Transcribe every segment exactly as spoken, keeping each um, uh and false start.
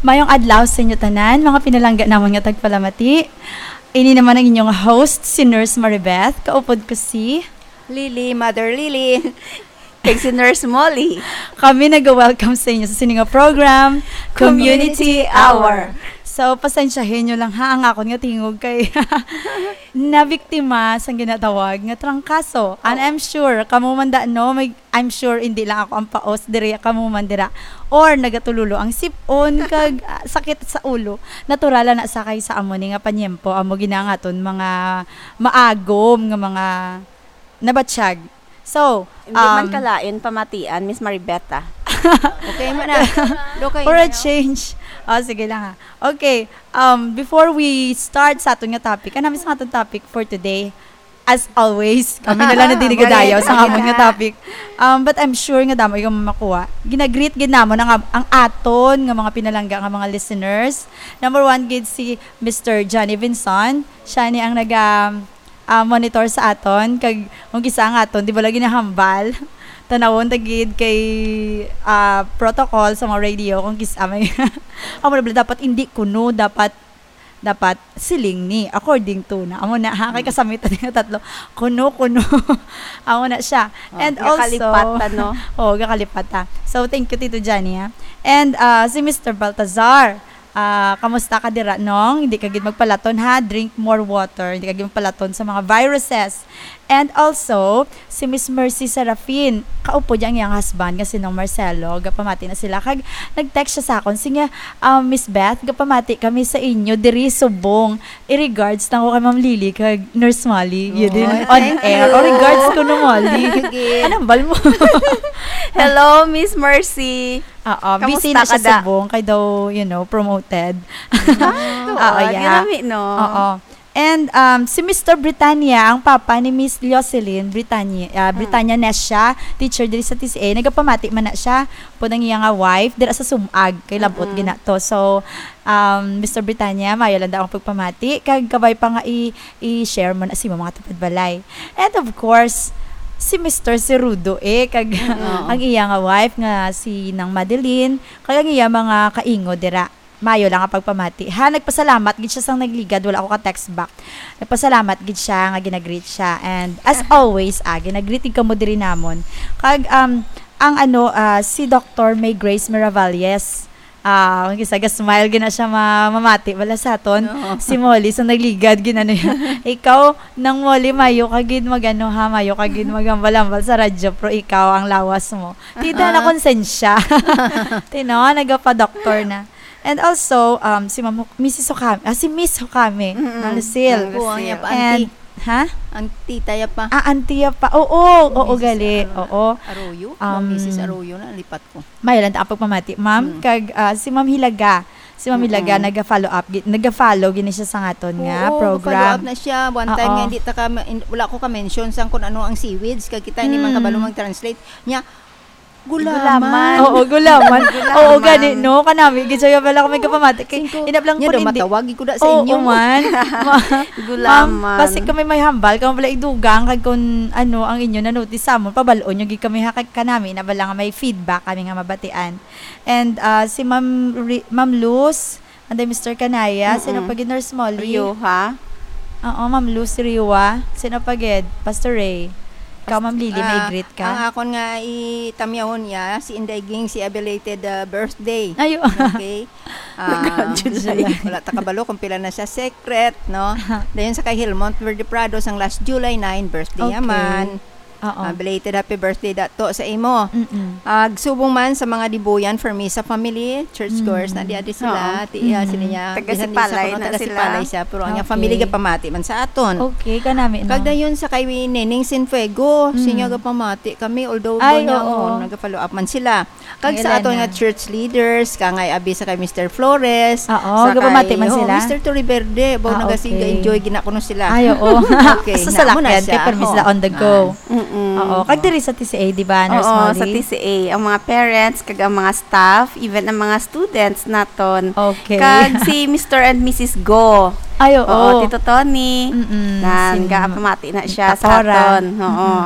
Mayong adlaw sa inyo tanan, mga pinalangga namon nga tagpalamati. Ini naman ang inyong host, si Nurse Maribeth. Kaupod ko si Lily, Mother Lily. Kag si Nurse Molly. Kami nag-welcome sa inyo sa sini nga program, Community Community Hour. Hour. So, pasensyahin nyo lang ha, ang akon nga tingog kay nabiktima sang ginatawag nga trangkaso. And Oh. I'm sure, kamo man da, no, may, I'm sure hindi lang ako ang paos diri, kamo man dira. Or nagatululo ang sip-on, kag, ah, sakit sa ulo. Natural na sa kay sa amo ni nga panyempo, amo gina nga aton mga maagom nga mga nabatsyag. So, Hindi man um, kalain pamatian, Miss Maribeth, ah. Okay man na. Okay for a na, no? Change. Oh, sige lang ha. Okay, um, before we start sa aton nga topic, ano sa aton topic for today? As always, kami na lang na Balik, dinigadayaw sa balik amon nga na. Topic. Um, but I'm sure nga damo ikaw makuha. Ginagreet gid namon ang, ang aton nga mga pinalangga nga mga listeners. Number one gid si Mister Johnny Vinson. Siya ni ang naga, ah, monitor sa aton. Kag kung kisa ang aton, di ba lagi nahambal? Tanawon ta gid kay, ah, protocol sa mga radio kung kisa may amo na bala, dapat hindi kuno, dapat, dapat siling ni, according to na. Amo na, ha, kay Mm. kasamitan nga tatlo. Kuno, kuno. Amo na siya. Oh, And also, gakalipatan, no? Oh, gakalipata. So, thank you, Tito Johnny, ha. And, ah, si Mister Baltazar, ah, kamusta ka dira, Nong? Hindi ka gid magpalaton, ha? Drink more water. Hindi ka gid magpalaton sa mga viruses. And also, si Miss Mercy Serafin, kaupod niya ang iyang husband nga si Nong Marcelo. Gapamati na sila. Kag nag-text siya sa akon, siya, ah, "Miss Beth, gapamati kami sa inyo diri subong. I-regards na ko kay Ma'am Lily kag Nurse Molly." Yun din, Oh, on thank air. you. Oh, regards ko, no, Molly. Thank you, Gid. Anong bal mo? Hello, Miss Mercy. Oo, busy Kamusta na siya ka da? Subong kay daw, you know, promoted. Ah, Oo, oo, yeah. Ginami, no? Oo. And, um, si Mister Britannia, ang papa ni Miss Jocelyn Britannia, ah, Mm. Britannia Nesha, teacher diri sa T C A, nagapamati man na siya pod ang iya nga wife dira sa Sumag, kay labot Mm-mm. gina to. So, um, Mister Britannia, maayo lang daw ang pagpamati, kag kabay pa nga i-, i-share mo na sa imong mga tupad balay. And of course, si Mister Cerudo, eh, kag Mm. ang iya nga wife nga si Nang Madeline, kag ang iya mga kaingo dira. Mayo lang ang pagpamati. Ha, nagpasalamat gid siya sang nagligad, wala ako ka-text back. Nagpasalamat gid siya nga ginagreet siya. And as always, ah, ginagreet gid kamo diri namon. Kag, um, ang ano, ah, si Doctor May Grace Miravalles, ah, ang isa, ga-smile gid na siya ma-, mamati. Wala sa aton, Oo. Si Molly, sa nagligad, ginano niya. Ikaw, Nang Molly, mayo ka gid mag-ano ha, mayo ka gid maghambal-hambal sa radyo, pero ikaw, ang lawas mo. Tida na Ah. konsensya. Tino, nagapa-doktor na. And also, um, si Ma'am Huk-, Missus Hukami, ah, si Miss Hukami, Mm-mm. Nang Lucille. Nang Lucille. Kuwang niya pa, And, auntie. Ha? Auntie, taya pa. Ah, auntie ya pa. Oo, oo, Missus gali. Ar-, Oo. Arroyo? Ma'am Um, Missus Arroyo na, lipat ko. May lang ang pagpamati, ma'am. Mm. Kag, ah, si Ma'am Hilaga. Si Ma'am Hilaga, Mm-mm. naga-follow up, gi-, naga-follow gini siya sa aton nga Oo, program. Follow up na siya. One time Oo. nga, hindi ta ka ma-, in-, wala ko ka-mention sang kung ano ang seaweeds. Kag kita, hindi man Mm. kabalo mag-translate. Nya, Gulaman. Gulaman. Oo, gulaman. Gulaman. Oo, gani, no? Kanami, gid siya pala kami kapamati. Kay, Singko, inap lang nya po daw, hindi. Matawag, ikuda sa Oo, inyo. Man. Ma-, Gulaman. Ma'am, basi kami may hambal, kamo pala idugang, kag kung ano ang inyo na-notice sa amon, pabal-on nyo gid kami, ha, kag kanami, na bala nga may feedback kami nga mabatian. And, ah, si Ma'am Ri-, Ma'am Luz, Anday, Mister Kanaya, sino Mm-mm. pa gid, Nurse Molly? Rioja. Oo, Ma'am Lucy Rioja. Sino pa gid? Pastor Ray. Ikaw, Ma'am Lily, may Ah, greet ka? Ang akon nga itamyahon niya, si Inday Ging, si a belated, ah, birthday. Ayo. Okay. Ah, July. Wala ta kabalo kung pila na siya, secret, no? Dayon sa kay Hilmont Verde Prado, sang last July nine, birthday Okay. naman. Oo. Ah, belated happy birthday dato sa imo. Mm-mm. Ah, subong man sa mga Dibuyan Fermisa family, church Mm. goers na di adi sila. Oo. Ti, ah, Mm. sila niya, Taga bisan di sa Sipalay kuno na taga sila. Sipalay siya, pero ang Okay. family gapamati man sa aton. Okay, kanami, no? Kag dayon sa kay Neneng Sinfuego, Mm. siya gapamati kami, although Ay, daw niya, oo. oh, naga-follow up man sila. Kag Kay sa aton Elena. nga church leaders, kangay abi sa kay Mister Flores, Oo, sa gapamati kay, man oh, sila? Mister Torreverde, baw Ah, naga-, okay. ga-enjoy gina kuno sila. Ay, oo. Okay, Sa na, amo na salakyan, siya. kay permi sila Oo. on the go. Ah. Mm-mm. Oo, kag diri sa T C A, di ba, Nurse Oo, sa Molly? T C A, ang mga parents, kag ang mga staff, even ang mga students naton. Okay. Kag si Mister and Missus Go. Ay, oo. Oo, Tito Tony. Mm-mm, Nan, si gapamati na siya sa Tapora. aton. Oo. Mm-mm.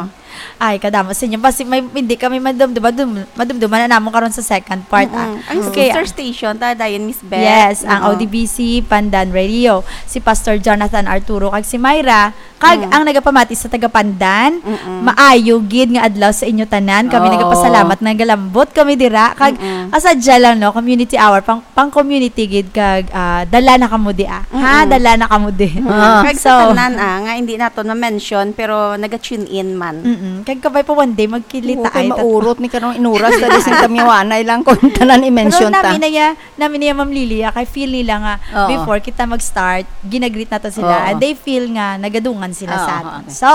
Ay, kadamo sa inyo. Basi may, hindi kami madumdum, madum-, madumduman na namon karon sa second part, ah. Mm-mm. Ang Okay, sister ah. station, ta, dayon, Miss Beth. Yes, ang Oo. O D B C Pandan Radio. Si Pastor Jonathan Arturo kag si Myra, kag Mm. ang nagapamati sa taga Pandan, Mm-mm. maayo gid nga adlaw sa inyo tanan. Kami Oo. nagapasalamat nga galambot kami dira. Kag Mm-mm. asadya lang, no, community hour, pang, pang community gid kag, ah, dala na kamo di, ah. Ha, Mm-mm. dala na kamo di. Mm-mm. Ah. Kag So, sa tanan, ah, nga hindi naton ma-mention, pero naga-tune in man. Mm-mm. Kag kabay pa one day, magkilita Oo, kay ay tat- maurot ni karong inuras, dali sing tamiwanay lang kung tanan i-mention Pero ta. nami na ya, nami na ya, Ma'am Lily, ah, kay feel nila nga Oo. before kita mag-start, ginagreet nato sila, Oo. and they feel nga nagadungan sila Oo, sa aton. okay. So,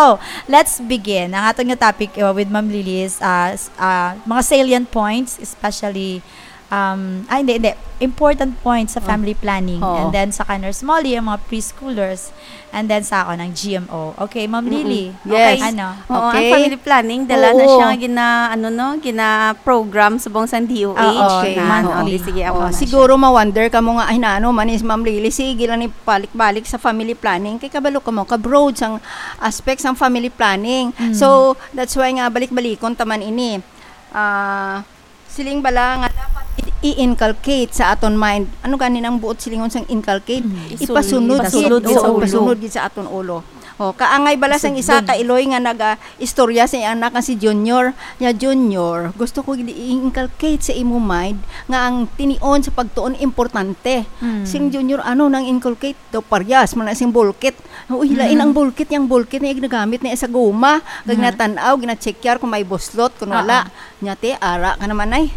let's begin. Ang aton nga topic, uh, with Ma'am Lily is, uh, s-, uh, mga salient points, especially, um, ah, hindi, hindi. Important points sa Oh. family planning. Oo. And then sa Nurse Molly, ang mga preschoolers. And then sa ako, ng G M O. Okay, Ma'am Mm-mm. Lily. Yes. Okay. Ano? Oo, ang Okay. family planning, dala na Oo. siya nga gina-, ano, no, gina-program subong sang D O H. Oo, Okay. na, ano, Monthly. di, sige, amo Oo, na siya. siguro ma-wonder kamo nga, "Ay, nano man is Ma'am Lily, sige lang ni balik-balik sa family planning." Kay kabalo kamo, ka-broad sang aspects sang family planning. Mm. So, that's why nga balik-balikon ta man ini. Ah, siling bala nga dapat i-, i-inculcate sa aton mind. Ano gani nang buot silingon sang inculcate? Mm. Ipasunod Isunod. gid. Ipasunod sa Oo, ulo. ipasunod gid sa aton ulo. O, kaangay bala sang isa Sugod. ka iloy nga naga-istorya sa iyang anak nga si Junior. Niya, "Junior, gusto ko gid i-inculcate sa imo mind nga ang tinion sa pagtuon importante." Mm. Sing Junior, "Ano nang inculcate?" Daw, "Paryas man na sing bulkit." Uy, lain Mm. ang bulkit, yang bulkit na ginagamit na sa guma. Kag Mm. natan-aw, gina-check yar kung may buslot, kung Oo. wala. Nya, "Ti, ara ka naman, ay."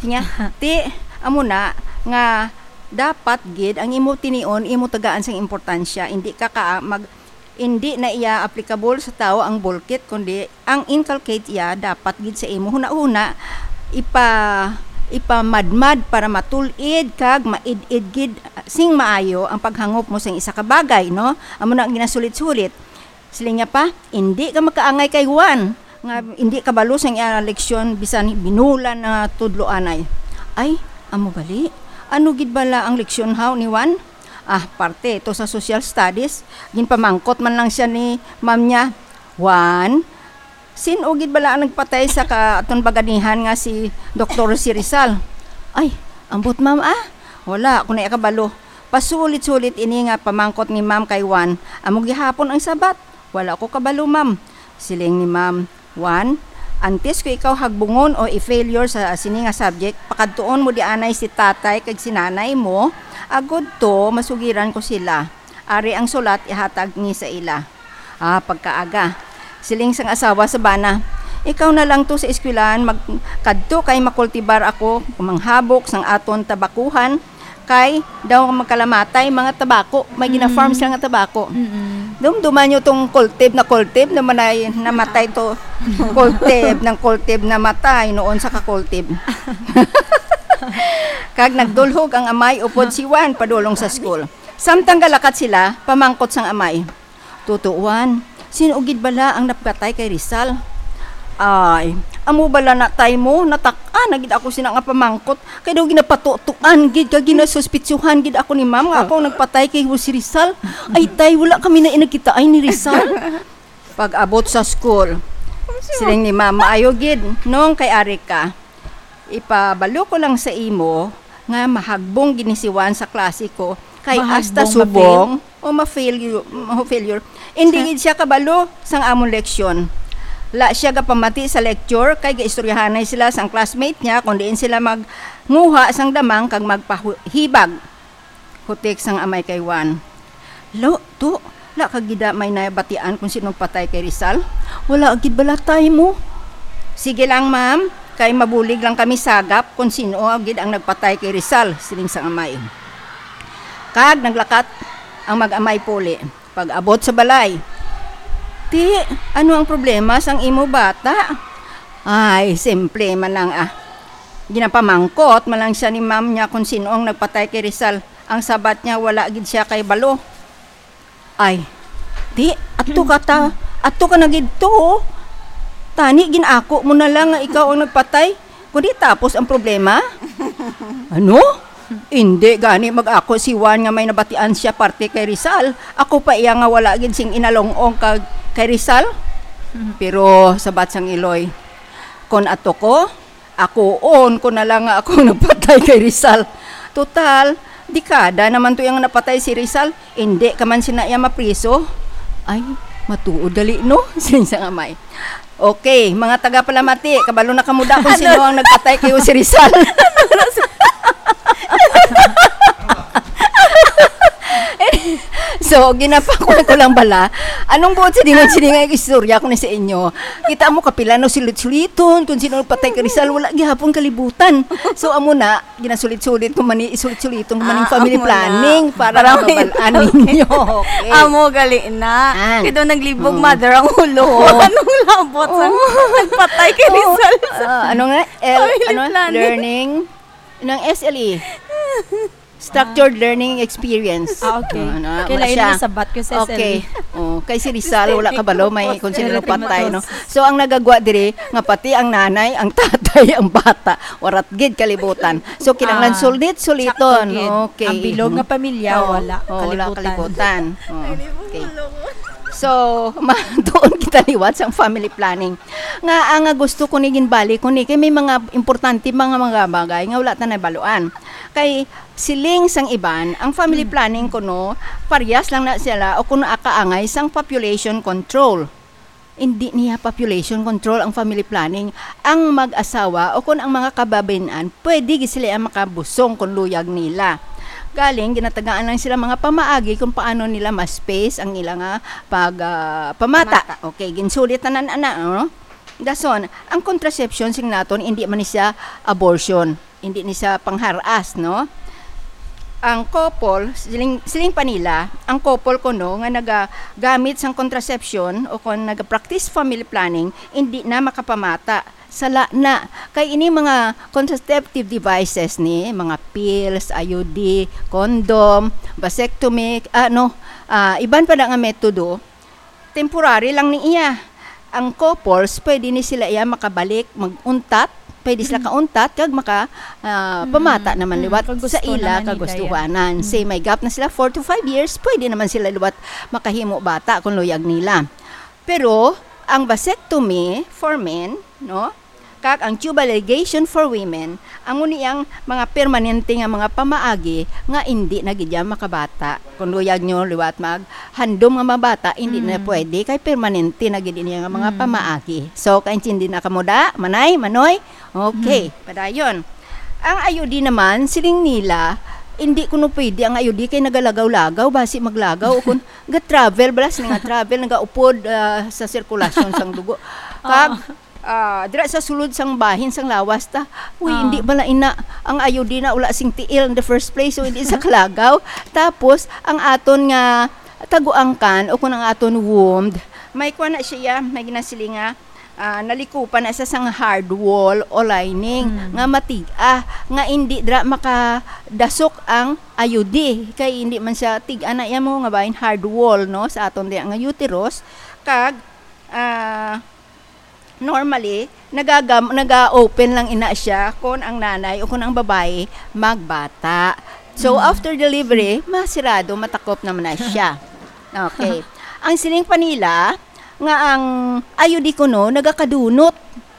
Nya, "Ti, amo na nga dapat gid ang imo tinion, imo tagaan sang importansya, hindi ka ka mag, hindi na iya applicable sa tawo ang bulkit, kundi ang inculcate iya dapat gid sa imo hunahuna, ipa-, ipamadmad para matul-id kag maid-id gid sing maayo ang paghangop mo sang isa ka bagay, no?" Amo na ang ginasulit-sulit. Siling niya pa, "Indi ka makaangay kay Juan, nga indi kabalo sang iya leksyon, bisan binulan na tudloanay." "Ay, amo gali? Ano gid bala ang leksyon haw ni Juan?" "Ah, parte ito sa social studies." Ginpamangkot man lang siya ni ma'am niya, "Juan, sin-o gid bala ang nagpatay sa ka-, aton baganihan nga si Doktor si Rizal?" "Ay, ambot, ma'am, ah. Wala ako na kabalo." Pasulit-sulit ini nga pamangkot ni ma'am kay Juan. "Amo gihapon ang sabat?" "Wala ko kabalo, ma'am." Siling ni ma'am, "Juan, antes ko ikaw hagbungon o i-failure sa sini nga subject, pakadtuon mo di anay si tatay kag si nanay mo, agud to masugiran ko sila. Ari ang sulat ihatag ni sa ila." Ah, pagkaaga. Siling sang asawa sa bana, "Ikaw na lang to sa eskwelahan, mag-, kadto kay makultibar ako, manghabok sang aton tabakuhan, kay daw magkalamatay mga tabako, may gina-farm Mm. sila nga tabako." Mm-mm. Dumduman nyo tong kultib na kultib na manay, namatay to. Kultib ng kultib namatay noon sa kakultib. Kag nagdulhog ang amay upod si Juan padulong sa school. Samtang galakat sila, pamangkot sang amay, "Tutuan, sin-o gid bala ang napatay kay Rizal?" "Ay, amo bala na, tay, mo? Natak-an na gid ako sina nga pamangkot. Kay daw ginapatutuan gid kag ginasuspitsuhan gid ako ni ma'am nga ako ang nagpatay kay Jose Rizal. Ay, tay, wala kami na inagkitaay ni Rizal." Pag-abot sa school, siling ni ma'am, "Maayo gid, nong kay ari ka. Ipabalo ko lang sa imo nga mahagbong gid ni si Juan sa klase ko, kay hasta Mahagbong, subong ma-fail? o ma-failure, ma-failure, hindi Sa gid siya kabalo sang amon leksyon. La siya gapamati sa lecture, kay gaistoryahanay sila sang classmate niya kung diin sila magnguha sang damang kag magpahibag." Hutik sang amay kay Juan, "Lo, to, la ka gid may nabatian kung sino ang patay kay Rizal? Wala gid bala, tay, mo?" "Sige lang, ma'am, kay mabulig lang kami sagap kung sino gid ang nagpatay kay Rizal," siling sang amay. Kag naglakat ang mag-amay puli. Pag-abot sa balay, "Ti, ano ang problema sang imo bata?" "Ay, simple man lang, ah. Ginapamangkot man lang siya ni ma'am niya kung sino ang nagpatay kay Rizal. Ang sabat niya, wala gid siya kay balo." "Ay, ti, ato ka ta, ato ka na gid to, oh. Tani, gin-ako mo na lang nga ikaw ang nagpatay. Kundi tapos ang problema?" "Ano? Indi gani mag-ako si Juan nga may nabatian siya parte kay Rizal. Ako pa iya nga wala gid sing inalong-ong kag kay Rizal." Mhm. Pero sabat sang iloy, kon ato ko, ako, on ko na lang nga ako nagpatay kay Rizal. Total, dekada naman to yung napatay si Rizal. Hindi ka man sina iya mapriso. Ay, matuod gali, no? Siling sang amay. Okay, mga taga Palamati, kabalo na kamo da kung sino ang nagpatay kay Jose Rizal. So, ginapakon ko lang bala. Anong buot silingon, silingon ang istorya ko ni sa inyo? Kita mo, kapila no sulit-suliton, kung sino patay kay Rizal, wala gihapon kalibutan. So, amo na, ginasulit-sulit ko man ni, isulit-suliton ko man yung Ah, family amo na. planning para Para may mabalaan ninyo. Okay. Amo gali na. Ah. Kaya daw naglibog Oo. mother ang ulo. Oo. Anong labot sa Oo. nagpatay kay Oo. Rizal sa Ah, ano nga? L, family ano? planning? Learning? Ng S L E. Structured learning experience. Ah, okay. Ano, Kaya wala lain siya. Ang sabat ko sa Okay. S L E. Oh, kay si Rizal, wala ka balo, may kung sino Pero patay, no? timatos. So, ang nagagwa diri, nga pati ang nanay, ang tatay, ang bata, warat gid kalibutan. So, kinahanglan Ah, sulit-suliton. sakto gid. Okay. Ang bilog nga pamilya, Oo. wala. Oo, wala Kalibutan. kalibutan. Oo. Okay. So, ma-, doon kita liwat sa family planning. Nga, ang nga gusto ko ni ginbalik ko ni, kay may mga importante, mga, mga bagay nga wala ta nabaluan. Kay siling sang iban, ang family Hmm. planning kuno, parehas lang na sila o kuno akaangay sang population control. Hindi niya population control ang family planning. Ang mag-asawa o kun ang mga kababayen-an, pwede gid sila ang makabusong kung luyag nila. Galing, ginatagaan lang sila mga pamaagi kung paano nila ma-space ang ila nga pag, ah, pamata. Pamata. Okay, ginsulit tanan ana, no? Dason, ang contraception sing naton, hindi man ni siya abortion, hindi ni siya pangharas, no? Ang couple, siling, siling pa nila, ang couple kuno nga nagagamit sang contraception o kung nag-practice family planning, hindi na makapamata. Sala na. Kay ini mga contraceptive devices ni, mga pills, I U D, condom, vasectomy, ano, ah, iban pa na nga metodo, temporary lang ni iya. Ang couples, pwede ni sila iya makabalik, mag-untat, pwede sila Mm. kauntat, kag maka, ah, Mm. pamata naman Mm. liwat Kung sa gusto ila naman nila kagustuhanan. yan. Say, Mm. may gap na sila four to five years, pwede naman sila liwat makahimo bata kung luyag nila. Pero, ang vasectomy for men, no? Kag ang tubal ligation for women, amo ni ang mga permanente nga mga pamaagi nga indi na gid ya makabata. Kung luyag nyo liwat maghandom nga mabata, indi na Mm. pwede kay permanente na gid niya nga mga Mm. pamaagi. So, kaintindi na kamo da, Manay, Manoy? Okay, Mm. padayon. Ang I U D naman, siling nila, hindi kuno pwede ang I U D kay nagalagaw-lagaw, basi maglagaw o kung ga-travel, bala, sini nga travel, nagaupod, ah, sa sirkulasyon sang dugo. Kag, Ah. ah, dira sa sulod sang bahin sang lawas ta. Uy, Ah. hindi bala ina ang I U D na wala sing tiil in the first place, so hindi sa kalagaw. Tapos, ang aton nga taguangkan o kung ang aton womb, may kuha na siya, may ginasiling nga, ah, nalikupan na siya sang hard wall o lining Mm. nga matig-a, nga hindi dira makadasok ang I U D. Kay hindi man siya tig-a na iya mo nga bahin hard wall, no, sa aton diya nga uterus. Kag, ah, normally, nagagam-, naga-open lang ina siya kon ang nanay o kon ang babayi magbata. So, Mm. after delivery, masirado, matakop naman na siya. Okay. Ang siling pa nila, nga ang I U D kuno, nagakadunot.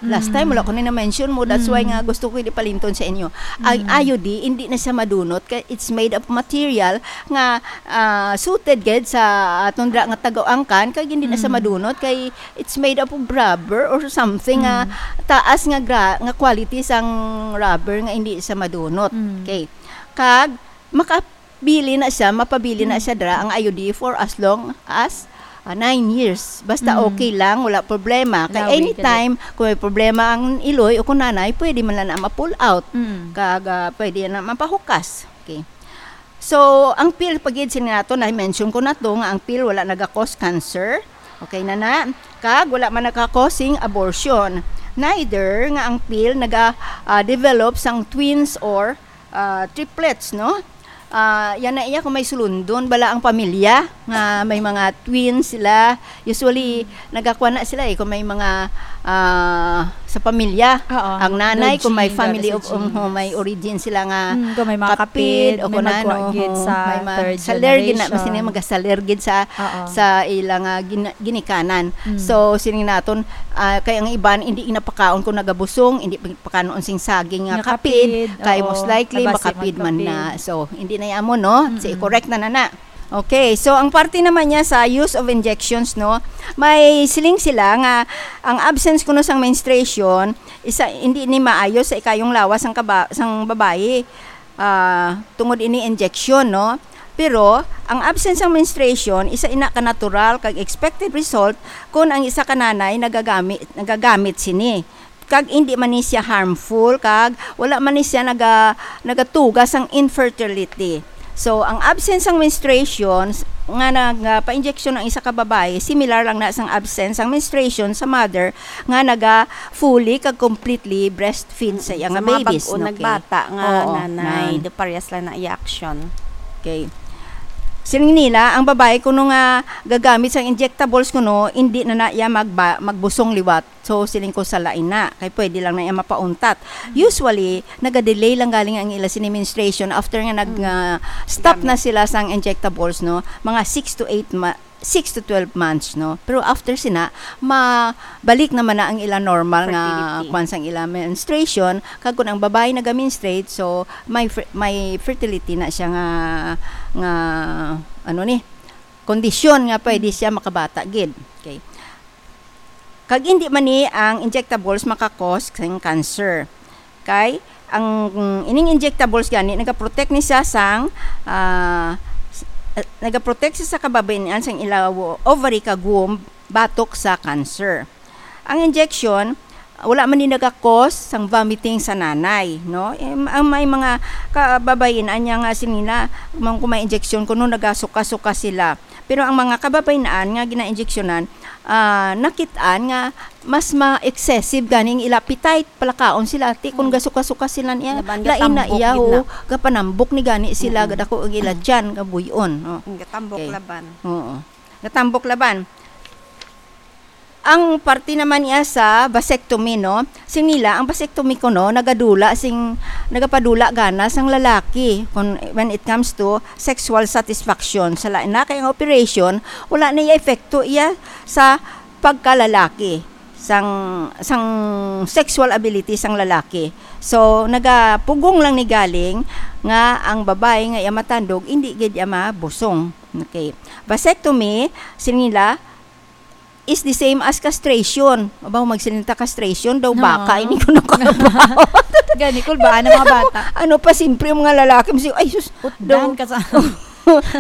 Last time, Mm. wala ko na na-mention mo. That's why Mm. nga gusto ko ipalinton sa inyo. Ang Mm. I U D, hindi na siya madunot. Kay it's made of material nga, ah, suited gid sa aton dira nga taguangkan. Kay hindi na siya Mm. madunot. Kay it's made up of rubber or something nga Mm. taas nga gra-, nga quality sang rubber nga hindi siya madunot. Mm. Okay. Kag makabili na siya, mapabili na Mm. siya dira ang I U D for as long as, ah, nine years. Basta Mm. okay lang, wala problema. Kay Lawi, anytime, kung may problema ang iloy o kung nanay, pwede man na na ma-pull out. Mm. Kag, ah, pwede na mapahukas. Okay. So, ang pill, pagid sini nato, na-mention ko na to, nga ang pill wala naga-cause cancer. Okay na na. Kag wala man naka-causing abortion. Neither nga ang pill naga, ah, develop sang twins or, ah, triplets, no? Ah, yan na iya kung may sulundon bala ang pamilya nga may mga twins sila. Usually, nagakuha na sila eh, kung may mga, ah, sa pamilya. Oo, Ang nanay, kung may Virgin, family of, Virgin. um, may origin sila nga Mm, kung may mga kapid, kapid, o may kung ano, magkuha gid ho, sa may ma-, third saler gid na, mas generation. Sini magasaler gid sa, Oo. sa ilang, ah, gin-, ginikanan. Mm. So, sining naton, ah, kay ang iban, hindi napakaon kung nagabusong, hindi pakanon sing saging nga Nga kapid, kapid, kay oo. Most likely, Labas makapid man magkapid. Na. So, hindi na yamo, no? Mm-mm. Si, correct na na na. Okay, so ang parte naman niya sa use of injections, no, may siling sila nga ang absence kuno sang menstruation, isa, hindi ni maayo sa ikayong lawas sang kaba-, sang babayi, ah, tungod ini injection, no? Pero ang absence sang menstruation, isa ina ka natural kag expected result kung ang isa ka nanay nagagamit, nagagamit sini. Kag hindi man ni siya harmful, kag wala man ni siya naga-, nagatuga sang infertility. So, ang absence sang menstruation s-, nga nagapa-injection ang isa ka babayi, similar lang na sang absence sang menstruation sa mother nga naga fully kag completely breastfeed sa iya Sa nga mga babies, bag-o no? Okay. Nagbata nga Oo, nanay, na. Do parehas lang na iya action. Okay. Siling nila, ang babayi kuno nga gagamit sang injectables kuno, hindi na na iya magba-, magbusong liwat. So, siling ko sa lain na, kay pwede lang na iya mapauntat. Mm. Usually, nagadelay lang galing ang ila sini menstruation after nga nag, Mm. nga stop na Gamit. Sila sang injectables, no? Mga six to eight ma-, six to twelve months, no? Pero after sina, mabalik naman na ang ila normal nga Fertility. Kwan sang ila menstruation, kag kung ang babae naga-menstruate, so may fer-, may fertility na siya nga, nga, ano ni, kondisyon nga pwede Mm. siya makabata gid. Okay. Kag hindi man ni ang injectables maka-cause sang cancer. Kay ang, mm, ining injectables gani nagaprotect ni siya sang, ah, s-, eh, nagaprotect siya sa kababayin-an sang ila wo-, ovary kag womb batok sa cancer. Ang injection, wala man ni naga-cause sang vomiting sa nanay, no? Em, ang may mga kababayin-an niya nga sila, mang-, kung may injection kuno nagasuka-suka sila. Pero ang mga kababayin-an nga gina-injeksyonan, ah, nakit-an nga mas ma-excessive ganing ila appetite, palakaon sila. Ti, kung Mm. gasuka-suka sila niya, Laban lain na gatambok iya, gid na. O, gapanambok ni gani sila, Mm-mm. Gadako ang ila tiyan, gabuy-on, no? Mm, gatambok Okay. laban. Oo. Gatambok laban. Ang parte naman niya sa vasectomy, no? Sing nila, ang vasectomy kuno, nagadula sing, nagapadula gana sang lalaki kung, when it comes to sexual satisfaction. Sa lain na kay ang operation, wala na iya epekto iya sa pagkalalaki, sang, sang sexual ability sang lalaki. So, nagapugong lang ni galing nga ang babae nga iya matandog, hindi gid iya mabusong. Okay. Vasectomy, sing nila, is the same as castration. Abaw, magsiling ta castration daw, Oo. Baka, ini ko nakabaw. Gani, kulbaan ang mga bata. Ano pa, simpre ang mga lalaki, mas-, ay, sus, Utdan daw. Ka sa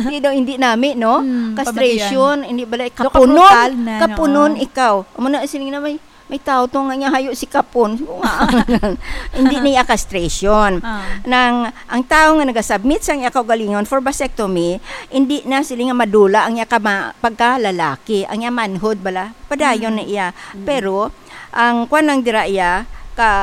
Di daw, hindi nami, no? Hmm, Castration, pabatian. Hindi bala, Daw kapunon, kabrutal na, kapunon no? Ikaw. Amo na, siling na may, may tao to nga niya hayo si kapon. Siling ko nga, hindi niya castration. Ah. Nang, ang tao nga nagasubmit sang iya kaugalingon for vasectomy, hindi na sila nga madula ang iya kama-, pagkalalaki, ang iya manhood bala, padayon Mm. na iya. Mm. Pero, ang kwan lang dira iya, ka,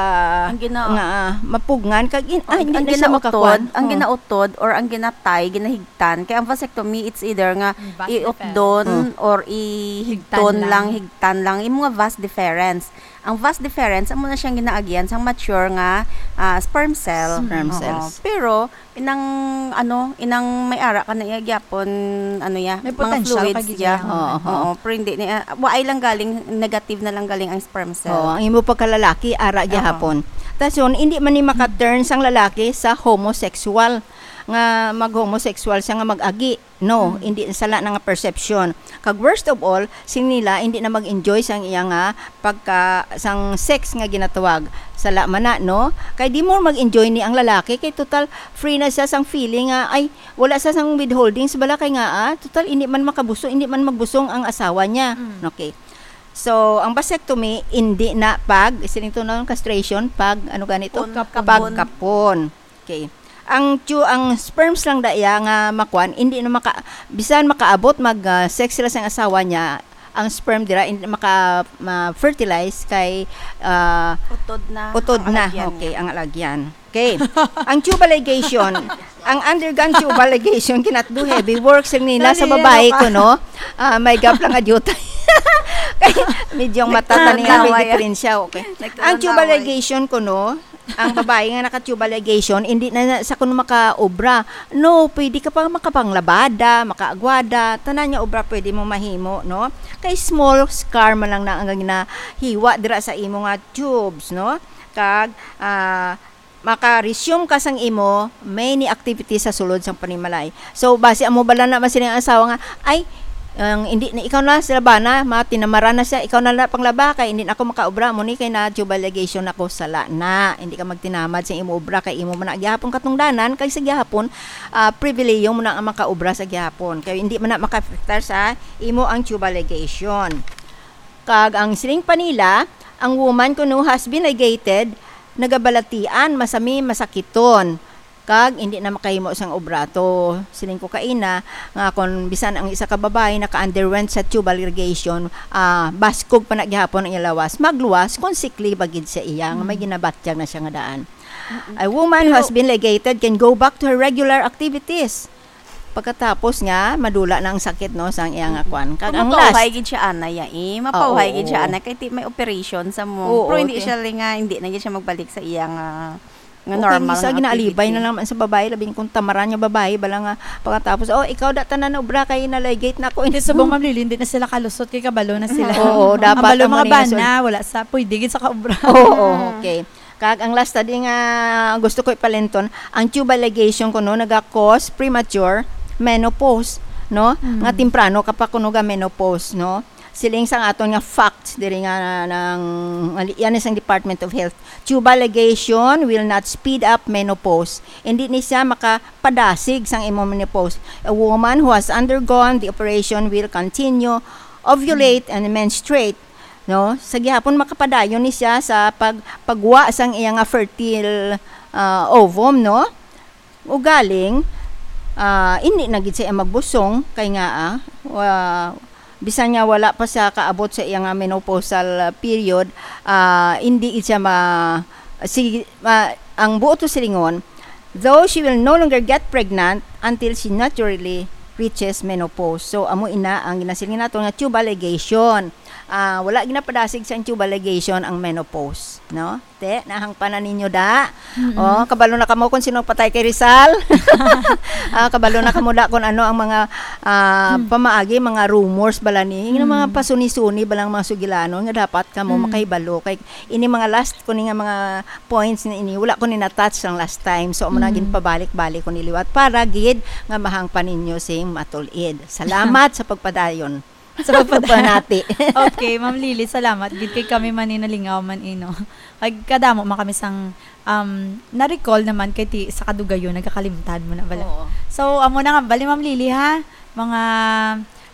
Ang gina- nga, ah, mapugngan, kag in-, ah, Ang, hindi ang na siya ginautod, makakuan. ang Oh. ginautod or ang ginatay, ginahigtan. Kaya ang vasectomy, it's either nga Yung vas iutdon deferens. Oh. or ihigton Higtan lang, lang. higtan lang. Yung mga vas deferens. Ang vas deferens, amo na siyang ginaagian sang mature nga, ah, sperm cell. Sperm Oo. cells. Pero, inang, ano, inang may ara ka na iya gyapon, ano ya, May mga potential fluids ka gid ya. ya. Oo, oo. Oo, pero hindi niya, wa ay lang galing, negative na lang galing ang sperm cell. Oo, ang imo pagkalalaki, ara Oo. gyapon. Tas yun, hindi man ni maka-turn sang lalaki sa homosexual, nga mag-homosexual siya nga mag-agi. No, Hmm. hindi, sala na nga perception. Kag worst of all, sing nila, hindi na mag-enjoy sang iya nga pagka, sang sex nga ginatawag. Sala man na, no? Kay di mo mag-enjoy ni ang lalaki, kay total free na siya sang feeling nga, ay, wala siya sang withholdings bala kay nga, ah, total hindi man makabuso-, hindi man magbusong ang asawa niya. Mm. Okay. So, ang vasectomy, hindi na pag, siling to, no, castration, pag, ano ganito? Kapon. Kapon. Pagkapon. Okay. Ang tu-, ang sperms lang da iya nga makuan, hindi na maka-, bisan makaabot mag, ah, sex sila sa asawa niya, ang sperm dira hindi maka, ma-fertilize kay, ah, Utod na utod ang na. Alagyan Okay, niya. Ang alagyan. Okay. Ang tubal ligation, ang undergone tubal ligation cannot do heavy work, sing nila sa Nalilaro babae ka. Ko, no? Ah, may gap lang adyutay. Medyo matata niya may Nagtulong-away. Diferensya, okay. Ang Nagtulong-away. Tubal ligation ko, no, ang babae nga naka-tubal ligation, hindi na, na sa kuno makaobra. No, pwede ka pa makapanglabada, makaagwada, tanan nga obra pwede mo mahimo, no? Kay small scar man lang na ang ginahiwa dira sa imo nga tubes, no? Kag, ah, maka-resume ka sang imo many activities sa sulod sang panimalay. So, basi amo bala na man sila ang asawa nga, ay, ang hindi na ikaw na sila ba na, matinamaran na siya, ikaw na lang panglaba, kay hindi na ako makaobra, mo ni kay na tubal ligation ako, sala na. Hindi ka magtinamad sa imo obra, kay imo man na gihapon katungdanan, kay sa gihapon, ah, pribilehiyo mo na ang makaobra sa gihapon. Kay hindi man na maka-afektar sa imo ang tubal ligation. Kag ang siling pa nila, ang woman kuno has been ligated, nagabalatian, masami, masakiton. Kag hindi na makahimo sang obra to. Siling ko kaina nga kon bisan ang isa ka babayi naka-underwent sa tubal ligation, ah, baskog pa na gihapon ang iya lawas, magluwas kon sikli ba gid sa iya nga may ginabatyag na siya nga daan. A woman who has been ligated can go back to her regular activities. Pagkatapos nga madula na ang sakit, no, sang iya nga kwan. Kag ang last, Mapauhay gid siya ana ya eh. Mapauhay Oo. Gid siya ana kay ti may operation sa mo. Oo, Pero hindi ti- siya li nga hindi na gid siya magbalik sa iya nga nga okay, normal sa nga ginaalibay activity. Na lang man sa babae, labing kung tamaran nga babae, bala nga pagkatapos, oh, ikaw da tanan na obra kay na-ligate na ako. Hindi subong, Ma'am Lily, hindi na sila kalusot kay kabalo na sila. Oo, dapat Ang balo amo mga ni nga bana, wala sa pwede gid sa kaobra. Oo, okay. Kag ang last study nga gusto ko ipalinton, ang tubal ligation kuno naga-cause premature menopause, no? Mm. Nga temprano ka pa kuno ga menopause, no? Siling sang aton nga facts diri nga nang yan is ang Department of Health. Tubal ligation will not speed up menopause. Hindi ni siya makapadasig sang imo menopause. A woman who has undergone the operation will continue ovulate and menstruate, no? Sa gihapon makapadayon ni siya sa pag pagwa sang iya nga fertile, ah, ovum, no? Ugaling, ah, hindi na gid siya magbusong kay nga, ah, wa- bisan nga wala pa siya kaabot sa iya nga menopausal, ah, period, ah, hindi gid siya ma si ma- ang buot to silingon, though she will no longer get pregnant until she naturally reaches menopause. So amo ina ang ginasiling nato nga tubal ligation. Ah, wala ginapadasig sa tubal ligation ang menopause, no? Te, nahangpanan ninyo da. Oh, kabalo na kamo kung sino patay kay Rizal. Ah, kabalo na kamo da kung ano ang mga, ah, pamaagi, mga rumors bala ni, yung mga pasuni-suni balang mga sugilanon nga dapat kamo makahibalo kay ini mga last ko ni nga mga points na ini, wala ko ni na-touch ang last time. So amo na ginpabalik-balik ko ni liwat para gid nga mahangpan ninyo sing matulid. Salamat sa pagpadayon. Sa pagpanati. Okay, Ma'am Lily, salamat. Gid kay kami man ni nalingaw man ino. Kag kadamo man kami sang um, na-recall naman kay ti sa kadugayon nagkakalimtan mo na bala. Oo. So, amo na nga bali, Ma'am Lily, ha, mga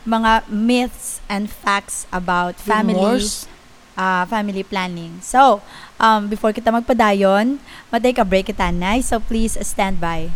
mga myths and facts about family Rumors. Ah, family planning. So, um, before kita magpadayon, matay ka break kita, Nay. So, please stand by.